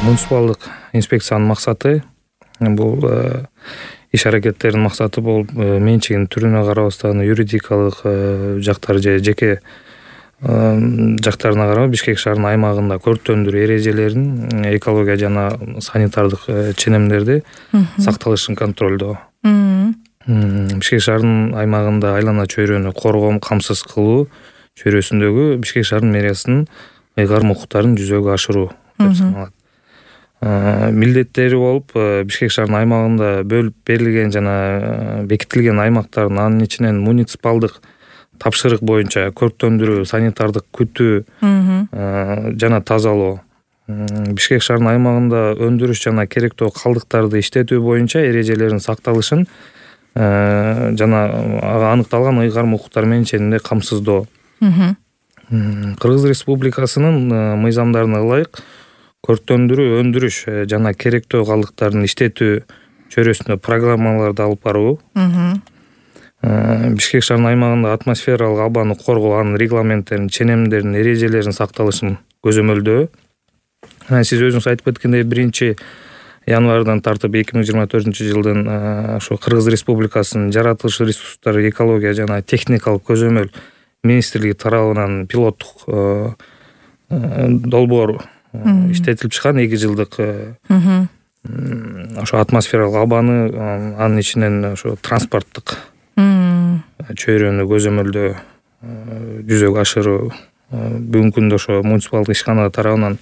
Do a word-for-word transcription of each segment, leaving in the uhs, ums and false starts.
Муниципалдык инспекциянын максаты бул иш аракеттердин максаты болуп менчигинин түрүнө карабастан юридикалык жактары же жеке жактарына карап Бишкек шаарынын аймагында көрктөндүрүү эрежелерин, экология жана санитардык ченемдерди сакталышын контролдоо. Бишкек шаарынын аймагында айлана чөйрөнү коргоо, камсыз кылуу чөйрөсүндөгү Бишкек шаарынын мэриясынын ыйгарым укуктарын жүзөгө ашыруу деп саналат. Милдеттери болуп Бишкек шаарынын аймагында бөлүп берилген жана бекитилген аймактардын анын ичинен муниципалдык тапшырык боюнча көрктөндүрүү, санитардык күтүү жана тазалоо, Бишкек шаарынын аймагында өндүрүш жана керектүү калдыктарды иштетүү боюнча эрежелердин сакталышын жана ага аныкталган ыйгарым укуктар менен ченемде камсыздоо. Кыргыз Республикасынын мыйзамдарына ылайык көрктөндүрүү, өндүрүш жана керектүү калдыктардын иштетүү чөйрөсүндө программаларды алып баруу, Бишкек шаарынын аймагында атмосфералык абаны коргоо, анын регламенттерин, ченемдерин, эрежелерин сакталышын көзөмөлдөө. Сиз өзүңүз айтып кеткендей, биринчи январдан тартып эки миң жыйырма төртүнчү жылдын ошо Кыргыз Республикасынын жаратылыш ресурстары, экология жана техникалык көзөмөл министрлиги тарабынан пилоттук долбоор иштетилип чыккан эки жылдык ошо атмосфералык абаны, анын ичинен ошо транспорттук чөйрөнү көзөмөлдөө, жүзөгө ашыруу. Бүгүнкү күндө ошо муниципалдык ишкана тарабынан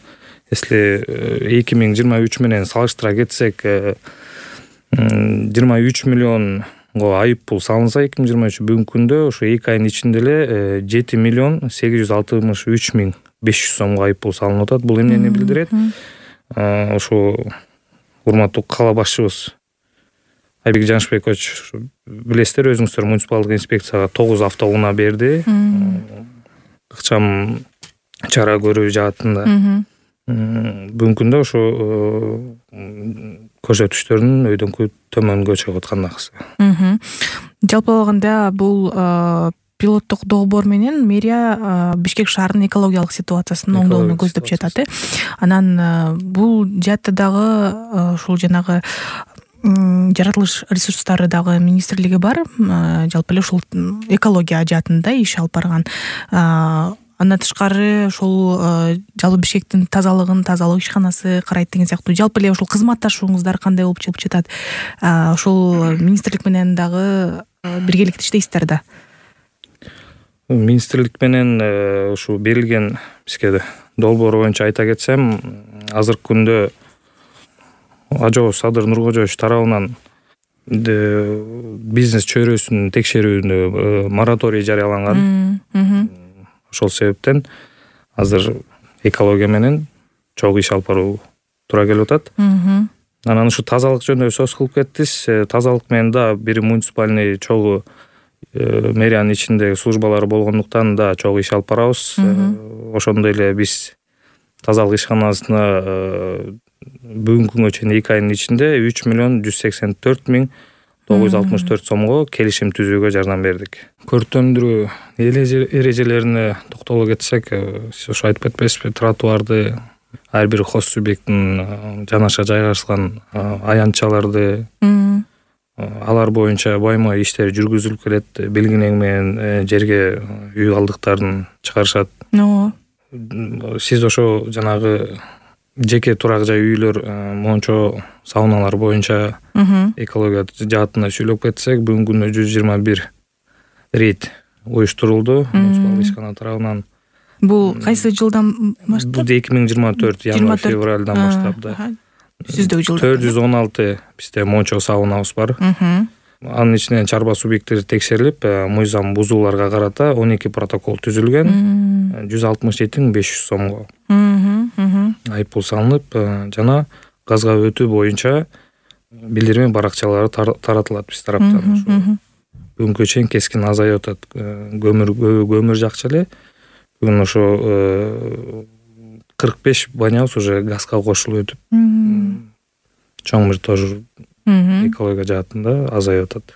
если эки миң жыйырма үч менен салыштыра кетсек, жыйырма үч миллионго айып пул салынса эки миң жыйырма үч, бүгүнкү күндө ошо эки айдын ичинде эле жети миллион сегиз жүз алтымыш үч миң беш жүз сомго айып пул салынып атат. Бул эмнени билдирет? Ошо урматтуу кала башчыбыз Айбек Жанышбекович, билесиздер, өзүңүздөр муниципалдык инспекцияга тогуз автоунаа берди. Ыкчам чара көрүү жаатында. Бүгүнкү күндө ошо көрсөтүштөрдүн өйдөнкү төмөнгө чыгып аткандагысы. Жалпы алганда бул пилоттук долбоор менен мэрия Бишкек шаарынын экологиялык ситуациясын оңдоону көздөп жатат. Анан бул жаатта дагы ушул жанагы жаратылыш ресурстары дагы министрлиги бар. Жалпы эле ушул экология жаатында иш алып барган. Андан тышкары ушул жалпы Бишкектин тазалыгын тазалык ишканасы карайт деген сыяктуу. Жалпы эле ушул кызматташууңуздар кандай болуп чыгып жатат? Ушул министрлик менен дагы биргеликте иштейсиздер да? Министрлик менен ушу берилген бизге долбоор боюнча айта кетсем, азыркы күндө Ажоо Садыр Нуркожоевич тарабынан бизнес чөйрөсүн текшерүүнү мораторий жарыяланган. Ошол себептен азыр экология менен чогуу иш алып баруу туура келип атат. Анан ушу тазалык жөнүндө сөз кылып кеттиз. Тазалык менен да бир муниципальный чогуу мэриянын ичинде службалары болгондуктан да чогуу иш алып барабыз. Ошондой эле биз тазалык ишканасына бүгүнкү күнгө чейин эки айдын ичинде үч миллион жүз сексен төрт миң тогуз жүз алтымыш төрт сомго келишим түзүүгө жардам бердик. Көрктөндүрүү эрежелерине токтоло кетсек, сиз ошо айтып кетпейсизби, тротуарды, ар бир хос субъекттин жанаша жайгашкан аянтчаларды, алар боюнча байма иштер жүргүзүлүп келет. Белгинең менен жерге үй калдыктарын чыгарышат. Сиз ошо жанагы жеке турак жай үйлөр, мончо, сауналар боюнча экология жаатына сүйлөп кетсек, бүгүнкү күндө жүз жыйырма бир рейд уюштурулду муниципалдык ишкана тарабынан. Бул кайсы жылдан баштап? Бул эки миң жыйырма төрт январь февралдан баштап да. Сиздеги жылда төрт жүз он алты бизде мончо саунабыз бар. Анын ичинен чарба субъекттери текшерилип, мыйзам бузууларга карата он эки протокол түзүлгөн. жүз алтымыш жети миң беш жүз сомго айып пул салынып, жана газга өтүү боюнча билдирме баракчалары таратылат биз тараптан. Бүгүнкү чейин кескин азайып атат. Көмүр көмүр жакчы эле. Бүгүн ошо кырк беш банябыз уже газга кошулуп өтүп, чоң бир тоже экология жаатында азайып атат.